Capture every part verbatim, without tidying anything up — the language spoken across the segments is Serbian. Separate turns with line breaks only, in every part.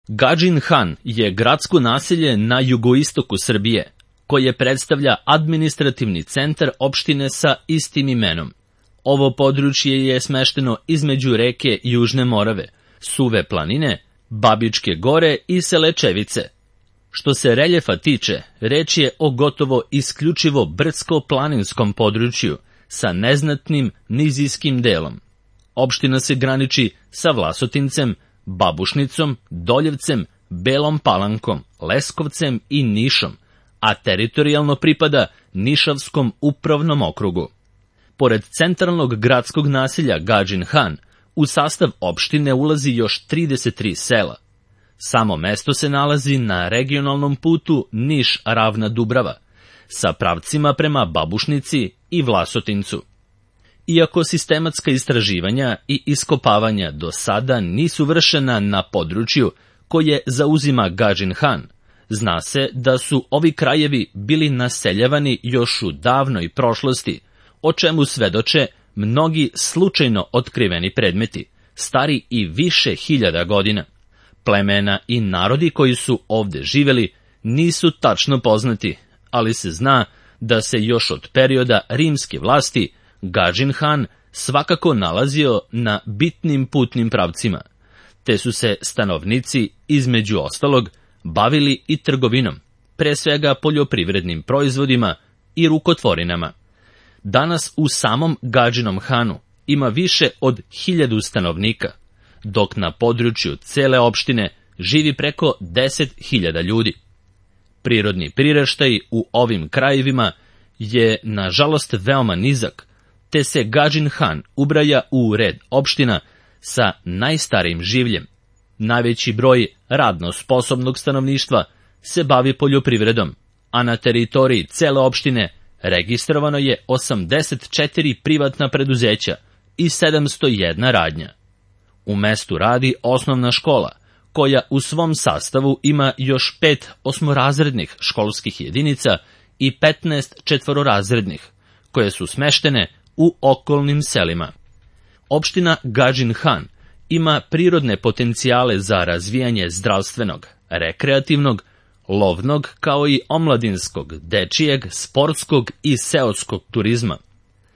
Gadžin Han je gradsko naselje na jugoistoku Srbije, koje predstavlja administrativni centar opštine sa istim imenom. Ovo područje je smešteno između reke Južne Morave, Suve planine, Babičke gore i Selečevice. Što se reljefa tiče, reč je o gotovo isključivo brdsko-planinskom području sa neznatnim nizijskim delom. Opština se graniči sa Vlasotincem, Babušnicom, Doljevcem, Belom Palankom, Leskovcem i Nišom, a teritorijalno pripada Nišavskom upravnom okrugu. Pored centralnog gradskog naselja Gadžin Han, u sastav opštine ulazi još trideset tri sela. Samo mesto se nalazi na regionalnom putu Niš-Ravna-Dubrava, sa pravcima prema Babušnici i Vlasotincu. Iako sistematska istraživanja i iskopavanja do sada nisu vršena na području koje zauzima Gadžin Han, zna se da su ovi krajevi bili naseljavani još u davnoj prošlosti, o čemu svedoče mnogi slučajno otkriveni predmeti, stari i više hiljada godina. Plemena i narodi koji su ovde živeli nisu tačno poznati, ali se zna da se još od perioda rimske vlasti Gadžin Han svakako nalazio na bitnim putnim pravcima, te su se stanovnici, između ostalog, bavili i trgovinom, pre svega poljoprivrednim proizvodima i rukotvorinama. Danas u samom Gadžinom Hanu ima više od hiljadu stanovnika, dok na području cele opštine živi preko deset hiljada ljudi. Prirodni priraštaj u ovim krajevima je, nažalost, veoma nizak, te se Gadžin Han ubraja u red opština sa najstarijim življem. Najveći broj radno sposobnog stanovništva se bavi poljoprivredom, a na teritoriji cele opštine registrovano je osamdeset četiri privatna preduzeća i sedamsto jedna radnja. U mestu radi osnovna škola, koja u svom sastavu ima još pet osmorazrednih školskih jedinica i petnaest četvororazrednih, koje su smeštene u okolnim selima. Opština Gadžin Han ima prirodne potencijale za razvijanje zdravstvenog, rekreativnog, lovnog kao i omladinskog, dečijeg, sportskog i seoskog turizma.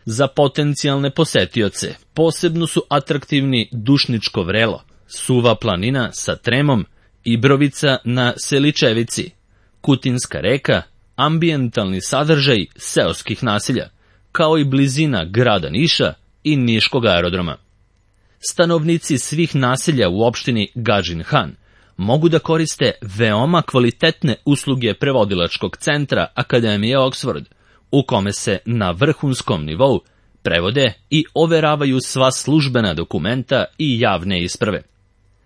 Za potencijalne posetioce posebno su atraktivni Dušničko vrelo, Suva planina sa Tremom, Ibrovica na Seličevici, Kutinska reka, ambijentalni sadržaj seoskih naselja, kao i blizina grada Niša i Niškog aerodroma. Stanovnici svih naselja u opštini Gadžin Han mogu da koriste veoma kvalitetne usluge prevodilačkog centra Akademije Oxford, u kome se na vrhunskom nivou prevode i overavaju sva službena dokumenta i javne isprave.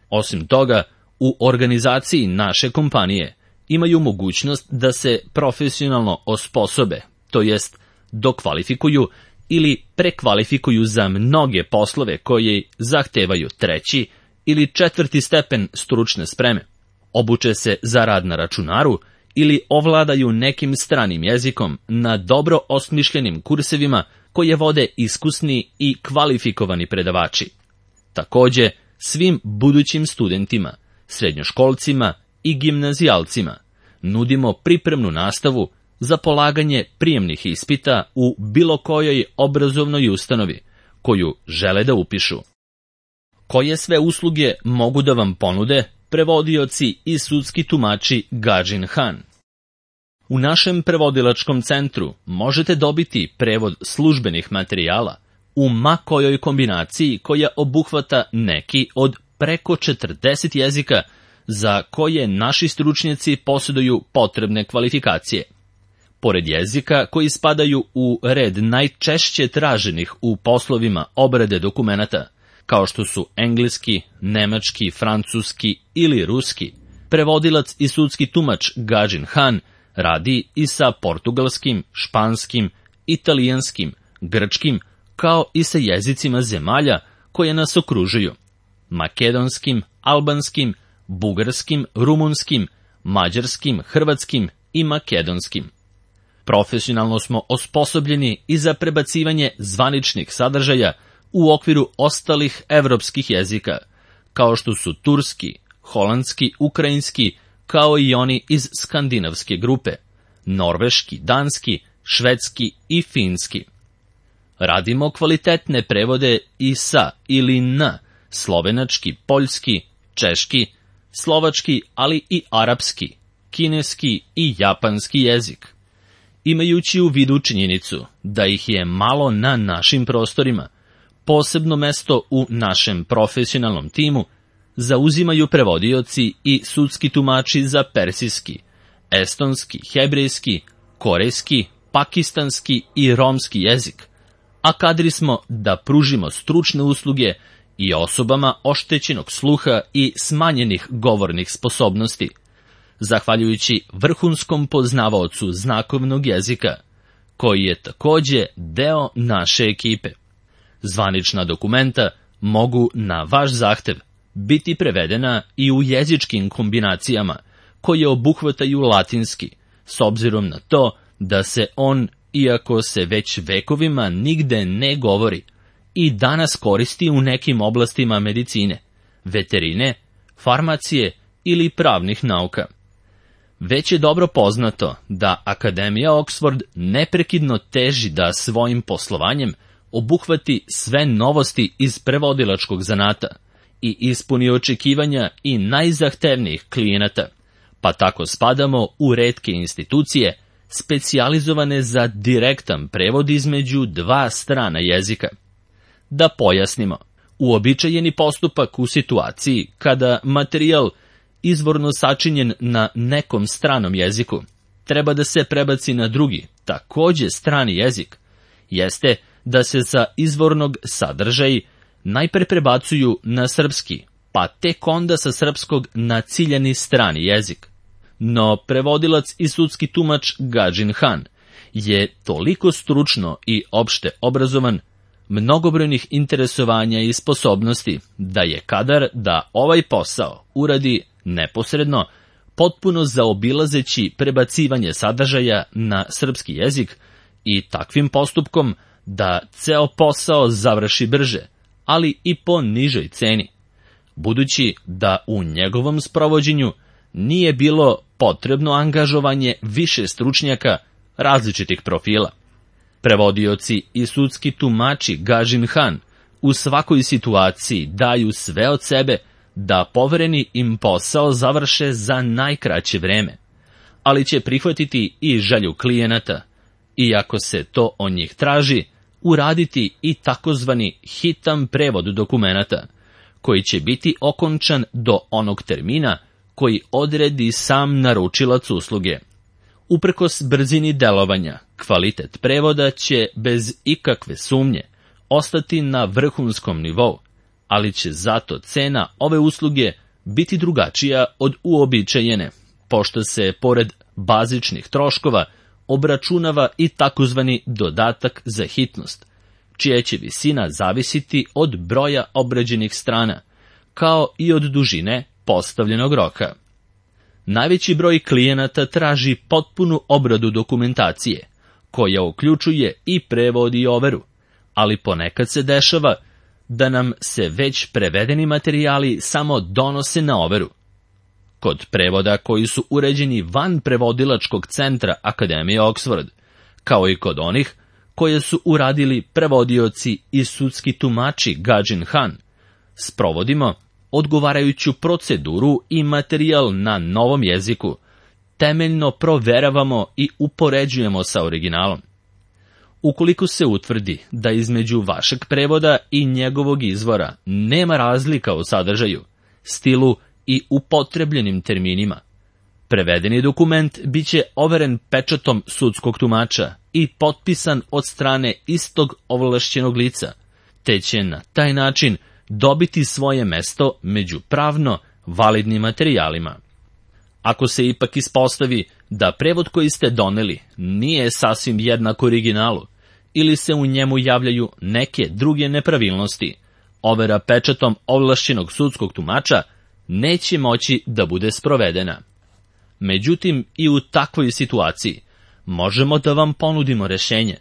Osim toga, u organizaciji naše kompanije imaju mogućnost da se profesionalno osposobe, to jest dokvalifikuju ili prekvalifikuju za mnoge poslove koji zahtevaju treći ili četvrti stepen stručne spreme, obuče se za rad na računaru ili ovladaju nekim stranim jezikom na dobro osmišljenim kursevima koje vode iskusni i kvalifikovani predavači. Takođe, svim budućim studentima, srednjoškolcima i gimnazijalcima nudimo pripremnu nastavu za polaganje prijemnih ispita u bilo kojoj obrazovnoj ustanovi koju žele da upišu. Koje sve usluge mogu da vam ponude prevodioci i sudski tumači Gadžin Han? U našem prevodilačkom centru možete dobiti prevod službenih materijala u ma kojoj kombinaciji koja obuhvata neki od preko četrdeset jezika za koje naši stručnjaci posjeduju potrebne kvalifikacije. Pored jezika koji spadaju u red najčešće traženih u poslovima obrade dokumenata, kao što su engleski, nemački, francuski ili ruski, prevodilac i sudski tumač Gadžin Han radi i sa portugalskim, španskim, italijanskim, grčkim, kao i sa jezicima zemalja koje nas okružuju, makedonskim, albanskim, bugarskim, rumunskim, mađarskim, hrvatskim i makedonskim. Profesionalno smo osposobljeni i za prebacivanje zvaničnih sadržaja u okviru ostalih evropskih jezika, kao što su turski, holandski, ukrajinski, kao i oni iz skandinavske grupe, norveški, danski, švedski i finski. Radimo kvalitetne prevode i sa ili na slovenački, poljski, češki, slovački, ali i arapski, kineski i japanski jezik. Imajući u vidu činjenicu da ih je malo na našim prostorima, posebno mesto u našem profesionalnom timu zauzimaju prevodioci i sudski tumači za persijski, estonski, hebrejski, korejski, pakistanski i romski jezik, a kadri smo da pružimo stručne usluge i osobama oštećenog sluha i smanjenih govornih sposobnosti, zahvaljujući vrhunskom poznavaocu znakovnog jezika, koji je takođe deo naše ekipe. Zvanična dokumenta mogu na vaš zahtev biti prevedena i u jezičkim kombinacijama koje obuhvataju latinski, s obzirom na to da se on, iako se već vekovima nigde ne govori, i danas koristi u nekim oblastima medicine, veterine, farmacije ili pravnih nauka. Već je dobro poznato da Akademija Oxford neprekidno teži da svojim poslovanjem obuhvati sve novosti iz prevodilačkog zanata i ispuni očekivanja i najzahtevnijih klijenata, pa tako spadamo u retke institucije specijalizovane za direktan prevod između dva strana jezika. Da pojasnimo, uobičajeni postupak u situaciji kada materijal izvorno sačinjen na nekom stranom jeziku treba da se prebaci na drugi, takođe strani jezik, jeste da se sa izvornog sadržaja najpre prebacuju na srpski, pa tek onda sa srpskog na ciljani strani jezik. No prevodilac i sudski tumač Gadžin Han je toliko stručno i opšte obrazovan, mnogobrojnih interesovanja i sposobnosti, da je kadar da ovaj posao uradi neposredno, potpuno zaobilazeći prebacivanje sadržaja na srpski jezik i takvim postupkom da ceo posao završi brže, ali i po nižoj ceni, budući da u njegovom sprovođenju nije bilo potrebno angažovanje više stručnjaka različitih profila. Prevodioci i sudski tumači Gadžin Han u svakoj situaciji daju sve od sebe da povereni im posao završe za najkraće vreme, ali će prihvatiti i želju klijenata, iako se to od njih traži, uraditi i takozvani hitan prevod dokumenata, koji će biti okončan do onog termina koji odredi sam naručilac usluge. Uprkos brzini delovanja, kvalitet prevoda će bez ikakve sumnje ostati na vrhunskom nivou, ali će zato cena ove usluge biti drugačija od uobičajene, pošto se pored bazičnih troškova obračunava i takozvani dodatak za hitnost, čija će visina zavisiti od broja obrađenih strana, kao i od dužine postavljenog roka. Najveći broj klijenata traži potpunu obradu dokumentacije, koja uključuje i prevod i overu, ali ponekad se dešava da nam se već prevedeni materijali samo donose na overu. Kod prevoda koji su uređeni van prevodilačkog centra Akademije Oxford, kao i kod onih koje su uradili prevodioci i sudski tumači Gadžin Han, sprovodimo odgovarajuću proceduru i materijal na novom jeziku, temeljno proveravamo i upoređujemo sa originalom. Ukoliko se utvrdi da između vašeg prevoda i njegovog izvora nema razlika u sadržaju, stilu i upotrebljenim terminima, prevedeni dokument biće overen pečatom sudskog tumača i potpisan od strane istog ovlašćenog lica, te će na taj način dobiti svoje mesto među pravno validnim materijalima. Ako se ipak ispostavi da prevod koji ste doneli nije sasvim jednak originalu ili se u njemu javljaju neke druge nepravilnosti, overa pečatom ovlašćenog sudskog tumača neće moći da bude sprovedena. Međutim, i u takvoj situaciji možemo da vam ponudimo rešenje.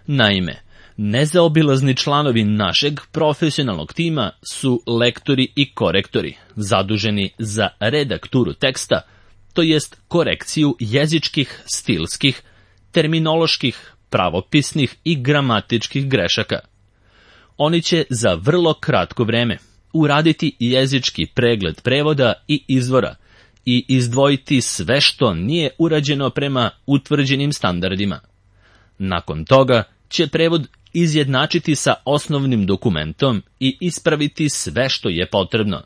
Naime, Nezaobilazni članovi našeg profesionalnog tima su lektori i korektori, zaduženi za redakturu teksta, to jest korekciju jezičkih, stilskih, terminoloških, pravopisnih i gramatičkih grešaka. Oni će za vrlo kratko vreme uraditi jezički pregled prevoda i izvora i izdvojiti sve što nije urađeno prema utvrđenim standardima. Nakon toga će prevod izjednačiti sa osnovnim dokumentom i ispraviti sve što je potrebno,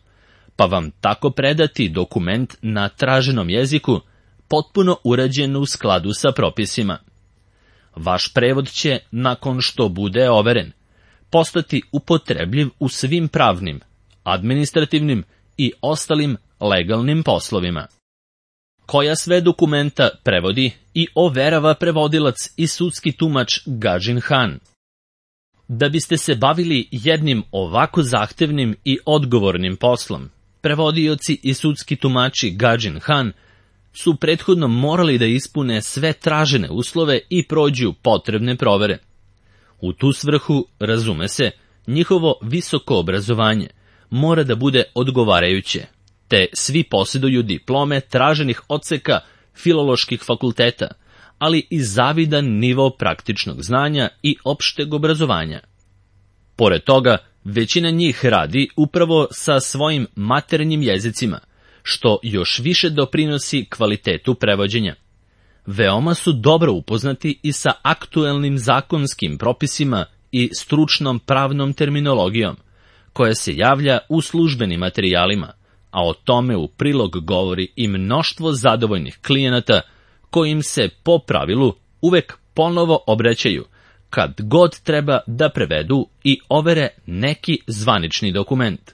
pa vam tako predati dokument na traženom jeziku, potpuno urađen u skladu sa propisima. Vaš prevod će, nakon što bude overen, postati upotrebljiv u svim pravnim, administrativnim i ostalim legalnim poslovima. Koja sve dokumenta prevodi i overava prevodilac i sudski tumač Gadžin Han. Da biste se bavili jednim ovako zahtevnim i odgovornim poslom, prevodioci i sudski tumači Gadžin Han su prethodno morali da ispune sve tražene uslove i prođu potrebne provere. U tu svrhu, razume se, njihovo visoko obrazovanje mora da bude odgovarajuće, te svi posjeduju diplome traženih odseka filoloških fakulteta, ali i zavidan nivo praktičnog znanja i opšteg obrazovanja. Pored toga, većina njih radi upravo sa svojim maternjim jezicima, što još više doprinosi kvalitetu prevođenja. Veoma su dobro upoznati i sa aktuelnim zakonskim propisima i stručnom pravnom terminologijom, koja se javlja u službenim materijalima, a o tome u prilog govori i mnoštvo zadovoljnih klijenata kojim se po pravilu uvek ponovo obraćaju kad god treba da prevedu i overe neki zvanični dokument.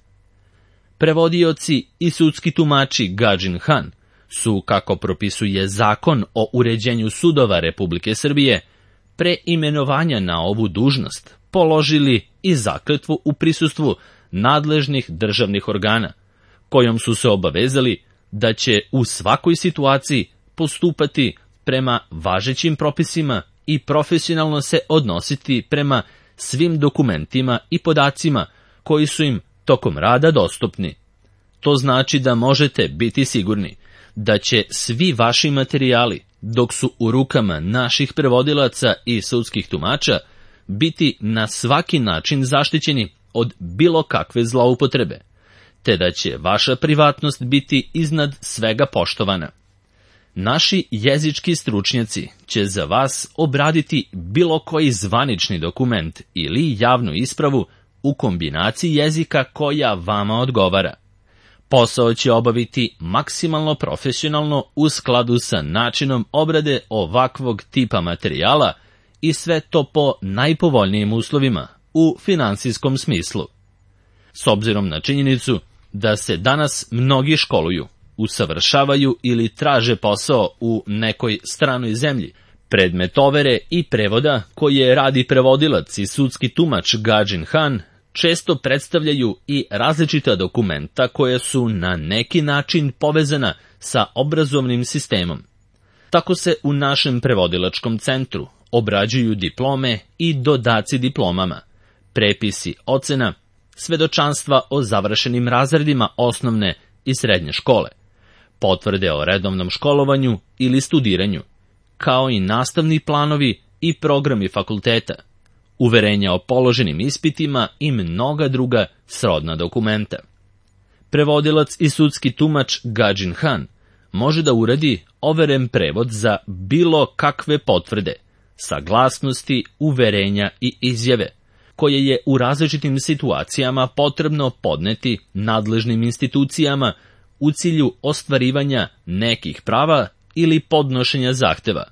Prevodioci i sudski tumači Gadžin Han su, kako propisuje Zakon o uređenju sudova Republike Srbije, pre imenovanja na ovu dužnost položili i zakletvu u prisustvu nadležnih državnih organa, kojom su se obavezali da će u svakoj situaciji postupati prema važećim propisima i profesionalno se odnositi prema svim dokumentima i podacima koji su im tokom rada dostupni. To znači da možete biti sigurni da će svi vaši materijali, dok su u rukama naših prevodilaca i sudskih tumača, biti na svaki način zaštićeni od bilo kakve zloupotrebe, te da će vaša privatnost biti iznad svega poštovana. Naši jezički stručnjaci će za vas obraditi bilo koji zvanični dokument ili javnu ispravu u kombinaciji jezika koja vama odgovara. Posao će obaviti maksimalno profesionalno u skladu sa načinom obrade ovakvog tipa materijala i sve to po najpovoljnijim uslovima u finansijskom smislu. S obzirom na činjenicu da se danas mnogi školuju, usavršavaju ili traže posao u nekoj stranoj zemlji, predmet overe i prevoda koje radi prevodilac i sudski tumač Gadžin Han često predstavljaju i različita dokumenta koja su na neki način povezana sa obrazovnim sistemom. Tako se u našem prevodilačkom centru obrađuju diplome i dodaci diplomama, prepisi ocena, svedočanstva o završenim razredima osnovne i srednje škole, potvrde o redovnom školovanju ili studiranju, kao i nastavni planovi i programi fakulteta, uverenja o položenim ispitima i mnoga druga srodna dokumenta. Prevodilac i sudski tumač Gadžin Han može da uradi overen prevod za bilo kakve potvrde, saglasnosti, uverenja i izjave, koje je u različitim situacijama potrebno podneti nadležnim institucijama u cilju ostvarivanja nekih prava ili podnošenja zahteva.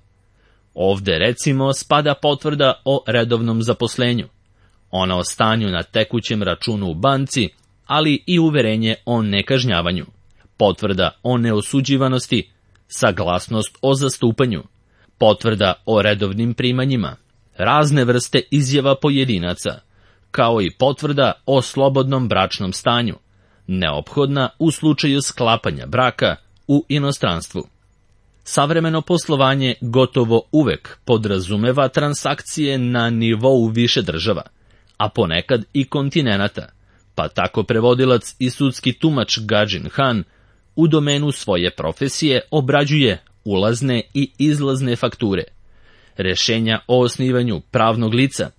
Ovde recimo spada potvrda o redovnom zaposlenju, ona o stanju na tekućem računu u banci, ali i uverenje o nekažnjavanju, potvrda o neosuđivanosti, saglasnost o zastupanju, potvrda o redovnim primanjima, razne vrste izjava pojedinaca, kao i potvrda o slobodnom bračnom stanju, neophodna u slučaju sklapanja braka u inostranstvu. Savremeno poslovanje gotovo uvek podrazumeva transakcije na nivou više država, a ponekad i kontinenata, pa tako prevodilac i sudski tumač Gadžin Han u domenu svoje profesije obrađuje ulazne i izlazne fakture, rešenja o osnivanju pravnog lica,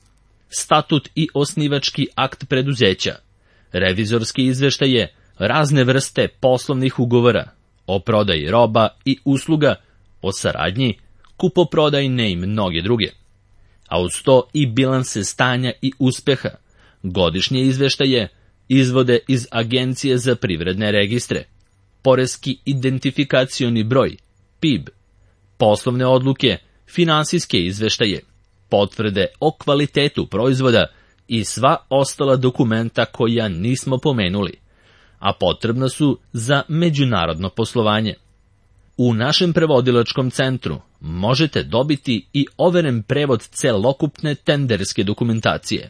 statut i osnivački akt preduzeća, revizorski izveštaje, razne vrste poslovnih ugovora, o prodaji roba i usluga, o saradnji, kupoprodajne i mnoge druge. A uz to i bilanse stanja i uspeha, godišnje izveštaje, izvode iz Agencije za privredne registre, poreski identifikacioni broj, P I B, poslovne odluke, finansijske izveštaje, potvrde o kvalitetu proizvoda i sva ostala dokumenta koja nismo pomenuli, a potrebna su za međunarodno poslovanje. U našem prevodilačkom centru možete dobiti i overen prevod celokupne tenderske dokumentacije,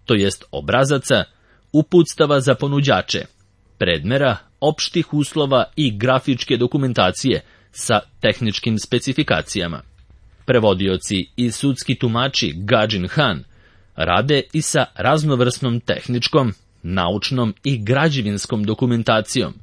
to jest obrazaca, uputstava za ponuđače, predmera, opštih uslova i grafičke dokumentacije sa tehničkim specifikacijama. Prevodioci i sudski tumači Gadžin Han rade i sa raznovrsnom tehničkom, naučnom i građevinskom dokumentacijom,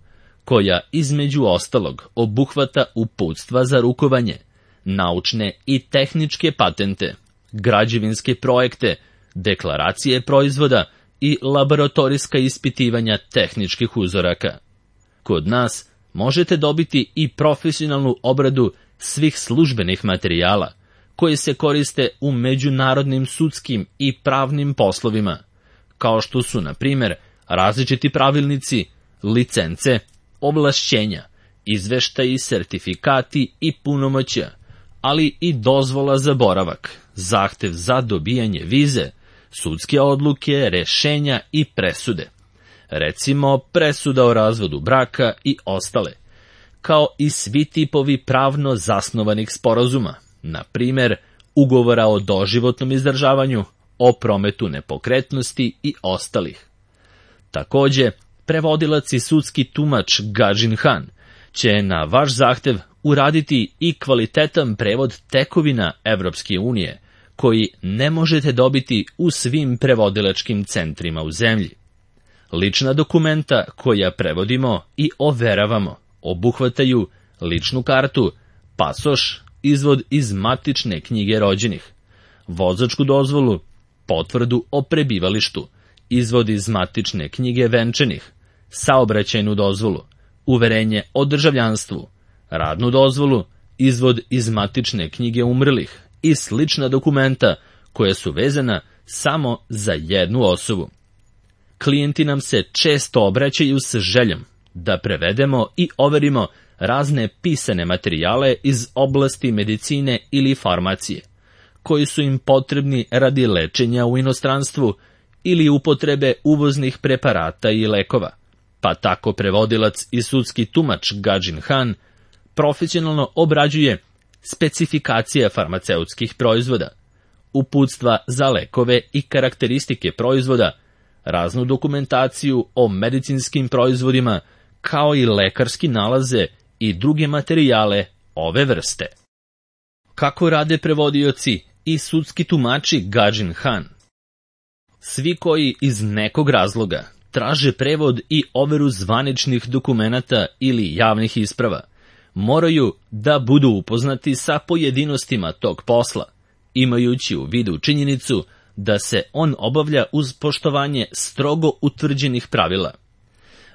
koja između ostalog obuhvata uputstva za rukovanje, naučne i tehničke patente, građevinske projekte, deklaracije proizvoda i laboratorijska ispitivanja tehničkih uzoraka. Kod nas možete dobiti i profesionalnu obradu svih službenih materijala, koji se koriste u međunarodnim sudskim i pravnim poslovima, kao što su, na primjer, različiti pravilnici, licence, ovlašćenja, izveštaji, sertifikati i punomoćja, ali i dozvola za boravak, zahtev za dobijanje vize, sudske odluke, rešenja i presude, recimo presuda o razvodu braka i ostale, kao i svi tipovi pravno zasnovanih sporazuma, na primjer, ugovora o doživotnom izdržavanju, o prometu nepokretnosti i ostalih. Takođe, prevodilac i sudski tumač Gadžin Han će na vaš zahtev uraditi i kvalitetan prevod tekovina Evropske unije, koji ne možete dobiti u svim prevodilačkim centrima u zemlji. Lična dokumenta koja prevodimo i overavamo obuhvataju ličnu kartu, pasoš, izvod iz matične knjige rođenih, vozačku dozvolu, potvrdu o prebivalištu, izvod iz matične knjige venčanih, saobraćajnu dozvolu, uverenje o državljanstvu, radnu dozvolu, izvod iz matične knjige umrlih i slična dokumenta koja su vezana samo za jednu osobu. Klijenti nam se često obraćaju sa željom da prevedemo i overimo razne pisane materijale iz oblasti medicine ili farmacije, koji su im potrebni radi lečenja u inostranstvu ili upotrebe uvoznih preparata i lekova, pa tako prevodilac i sudski tumač Gadžin Han profesionalno obrađuje specifikacije farmaceutskih proizvoda, uputstva za lekove i karakteristike proizvoda, raznu dokumentaciju o medicinskim proizvodima, kao i lekarski nalaze i druge materijale ove vrste. Kako rade prevodioci i sudski tumači Gadžin Han? Svi koji iz nekog razloga traže prevod i overu zvaničnih dokumenata ili javnih isprava, moraju da budu upoznati sa pojedinostima tog posla, imajući u vidu činjenicu da se on obavlja uz poštovanje strogo utvrđenih pravila.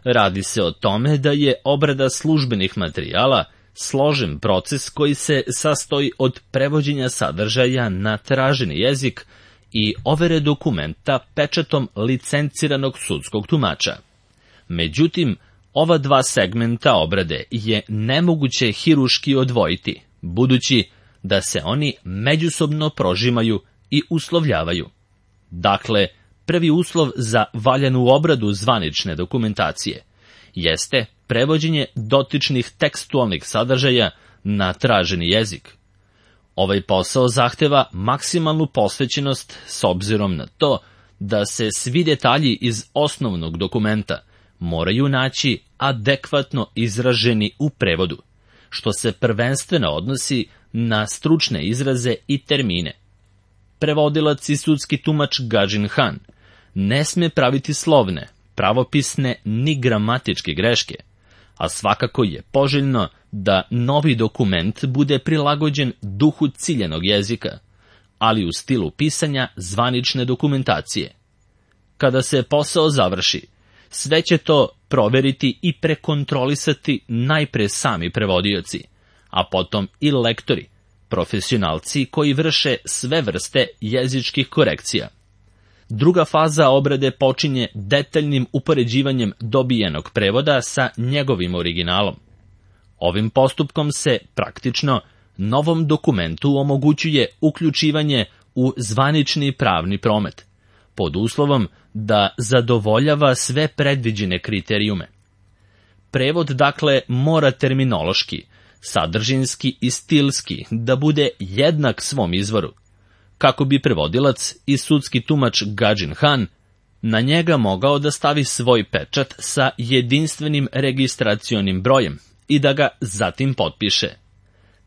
Radi se o tome da je obrada službenih materijala složen proces koji se sastoji od prevođenja sadržaja na traženi jezik i overe dokumenta pečatom licenciranog sudskog tumača. Međutim, ova dva segmenta obrade je nemoguće hiruški odvojiti, budući da se oni međusobno prožimaju i uslovljavaju. Dakle, prvi uslov za valjanu obradu zvanične dokumentacije jeste prevođenje dotičnih tekstualnih sadržaja na traženi jezik. Ovaj posao zahteva maksimalnu posvećenost s obzirom na to da se svi detalji iz osnovnog dokumenta moraju naći adekvatno izraženi u prevodu, što se prvenstveno odnosi na stručne izraze i termine. Prevodilac i sudski tumač Gadžin Han ne sme praviti slovne, pravopisne ni gramatičke greške, a svakako je poželjno da novi dokument bude prilagođen duhu ciljanog jezika, ali u stilu pisanja zvanične dokumentacije. Kada se posao završi, sve će to proveriti i prekontrolisati najpre sami prevodioci, a potom i lektori, profesionalci koji vrše sve vrste jezičkih korekcija. Druga faza obrade počinje detaljnim upoređivanjem dobijenog prevoda sa njegovim originalom. Ovim postupkom se praktično novom dokumentu omogućuje uključivanje u zvanični pravni promet, pod uslovom da zadovoljava sve predviđene kriterijume. Prevod, dakle, mora terminološki, sadržinski i stilski da bude jednak svom izvoru, kako bi prevodilac i sudski tumač Gadžin Han na njega mogao da stavi svoj pečat sa jedinstvenim registracionim brojem i da ga zatim potpiše.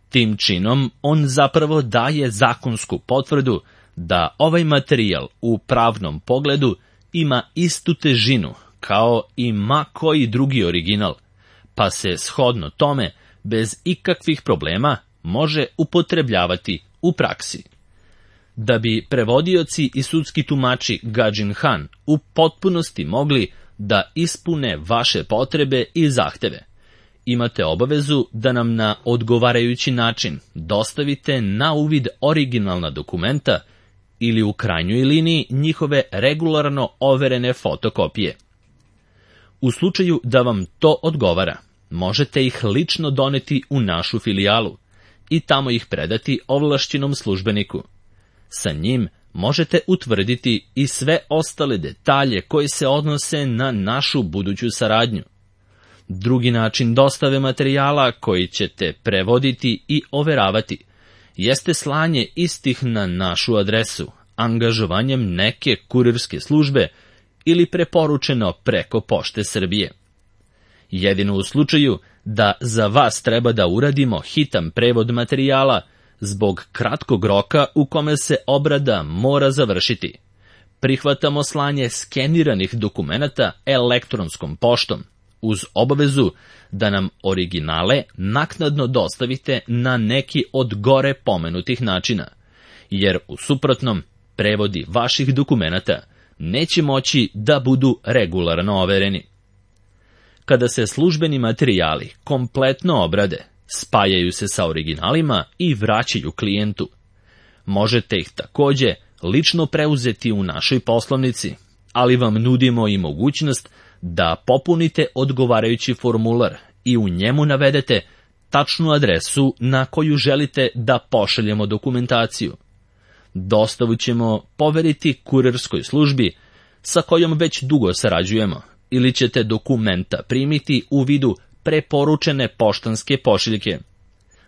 Tim činom on zapravo daje zakonsku potvrdu da ovaj materijal u pravnom pogledu ima istu težinu kao i ma koji drugi original, pa se shodno tome bez ikakvih problema može upotrebljavati u praksi. Da bi prevodioci i sudski tumači Gadžin Han u potpunosti mogli da ispune vaše potrebe i zahteve, imate obavezu da nam na odgovarajući način dostavite na uvid originalna dokumenta ili u krajnjoj liniji njihove regularno overene fotokopije. U slučaju da vam to odgovara, možete ih lično doneti u našu filijalu i tamo ih predati ovlašćenom službeniku. Sa njim možete utvrditi i sve ostale detalje koji se odnose na našu buduću saradnju. Drugi način dostave materijala koji ćete prevoditi i overavati jeste slanje istih na našu adresu, angažovanjem neke kurirske službe ili preporučeno preko Pošte Srbije. Jedino u slučaju da za vas treba da uradimo hitan prevod materijala zbog kratkog roka u kome se obrada mora završiti, prihvatamo slanje skeniranih dokumenata elektronskom poštom, uz obavezu da nam originale naknadno dostavite na neki od gore pomenutih načina, jer u suprotnom prevodi vaših dokumenata neće moći da budu regularno overeni. Kada se službeni materijali kompletno obrade, spajaju se sa originalima i vraćaju klijentu. Možete ih takođe lično preuzeti u našoj poslovnici, ali vam nudimo i mogućnost da popunite odgovarajući formular i u njemu navedete tačnu adresu na koju želite da pošaljemo dokumentaciju. Dostavu ćemo poveriti kurirskoj službi sa kojom već dugo sarađujemo, ili ćete dokumenta primiti u vidu preporučene poštanske pošiljke.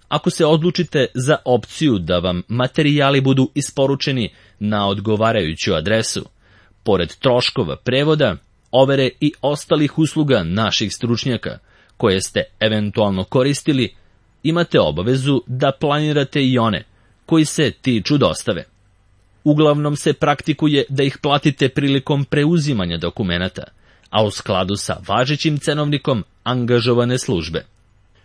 Ako se odlučite za opciju da vam materijali budu isporučeni na odgovarajuću adresu, pored troškova prevoda, overe i ostalih usluga naših stručnjaka, koje ste eventualno koristili, imate obavezu da planirate i one koji se tiču dostave. Uglavnom se praktikuje da ih platite prilikom preuzimanja dokumenata, a u skladu sa važećim cenovnikom angažovane službe.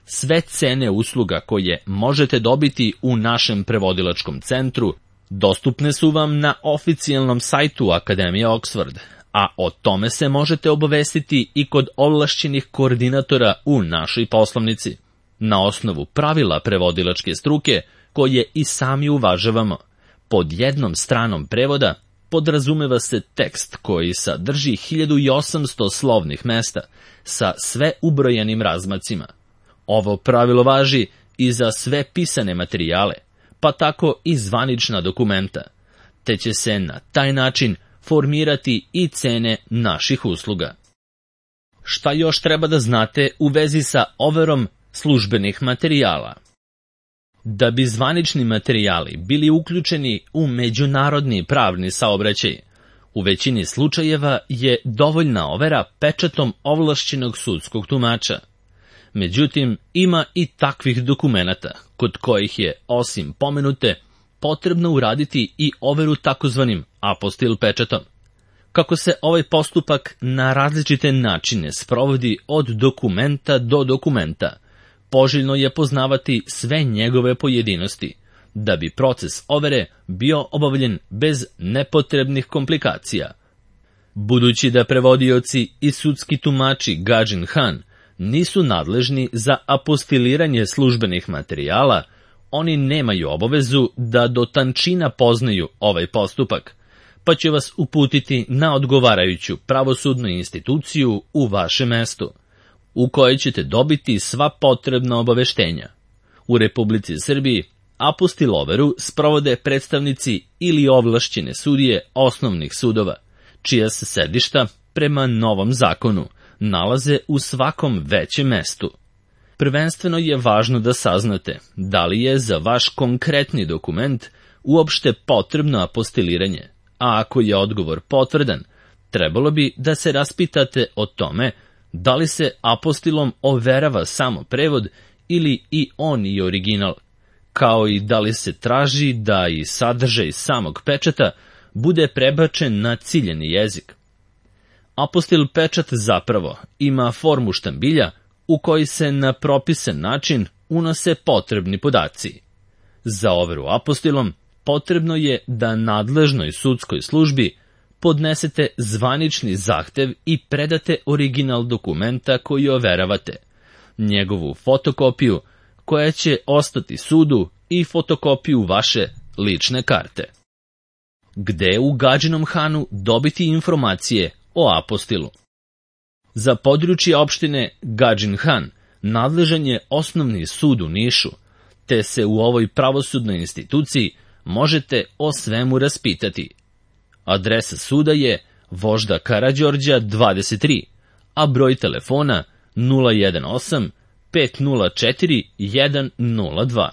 Sve cene usluga koje možete dobiti u našem prevodilačkom centru dostupne su vam na oficijalnom sajtu Akademije Oxford, a o tome se možete obavestiti i kod ovlašćenih koordinatora u našoj poslovnici. Na osnovu pravila prevodilačke struke, koje i sami uvažavamo, pod jednom stranom prevoda podrazumeva se tekst koji sadrži hiljadu osamsto slovnih mesta sa sve ubrojenim razmacima. Ovo pravilo važi i za sve pisane materijale, pa tako i zvanična dokumenta, te će se na taj način formirati i cene naših usluga. Šta još treba da znate u vezi sa overom službenih materijala? Da bi zvanični materijali bili uključeni u međunarodni pravni saobraćaj, u većini slučajeva je dovoljna overa pečatom ovlašćenog sudskog tumača. Međutim, ima i takvih dokumenata, kod kojih je, osim pomenute, potrebno uraditi i overu takozvanim apostil pečatom. Kako se ovaj postupak na različite načine sprovodi od dokumenta do dokumenta, poželjno je poznavati sve njegove pojedinosti, da bi proces overe bio obavljen bez nepotrebnih komplikacija. Budući da prevodioci i sudski tumači Gadžin Han nisu nadležni za apostiliranje službenih materijala, oni nemaju obavezu da do tančina poznaju ovaj postupak, pa će vas uputiti na odgovarajuću pravosudnu instituciju u vašem mestu, u kojoj ćete dobiti sva potrebna obaveštenja. U Republici Srbiji apostil overu sprovode predstavnici ili ovlašćene sudije osnovnih sudova, čija se sedišta, prema novom zakonu, nalaze u svakom većem mestu. Prvenstveno je važno da saznate da li je za vaš konkretni dokument uopšte potrebno apostiliranje, a ako je odgovor potvrdan, trebalo bi da se raspitate o tome da li se apostilom overava samo prevod ili i on i original, kao i da li se traži da i sadržaj samog pečata bude prebačen na ciljeni jezik. Apostil pečat zapravo ima formu štambilja u koji se na propisan način unose potrebni podaci. Za overu apostilom potrebno je da nadležnoj sudskoj službi podnesete zvanični zahtev i predate original dokumenta koji overavate, njegovu fotokopiju koja će ostati sudu i fotokopiju vaše lične karte. Gde u Gadžinom Hanu dobiti informacije o apostilu? Za područje opštine Gadžin Han nadležan je Osnovni sud u Nišu, te se u ovoj pravosudnoj instituciji možete o svemu raspitati. Adresa suda je Vožda Karađorđa dvadeset tri, a broj telefona nula jedan osam pet nula četiri jedan nula dva.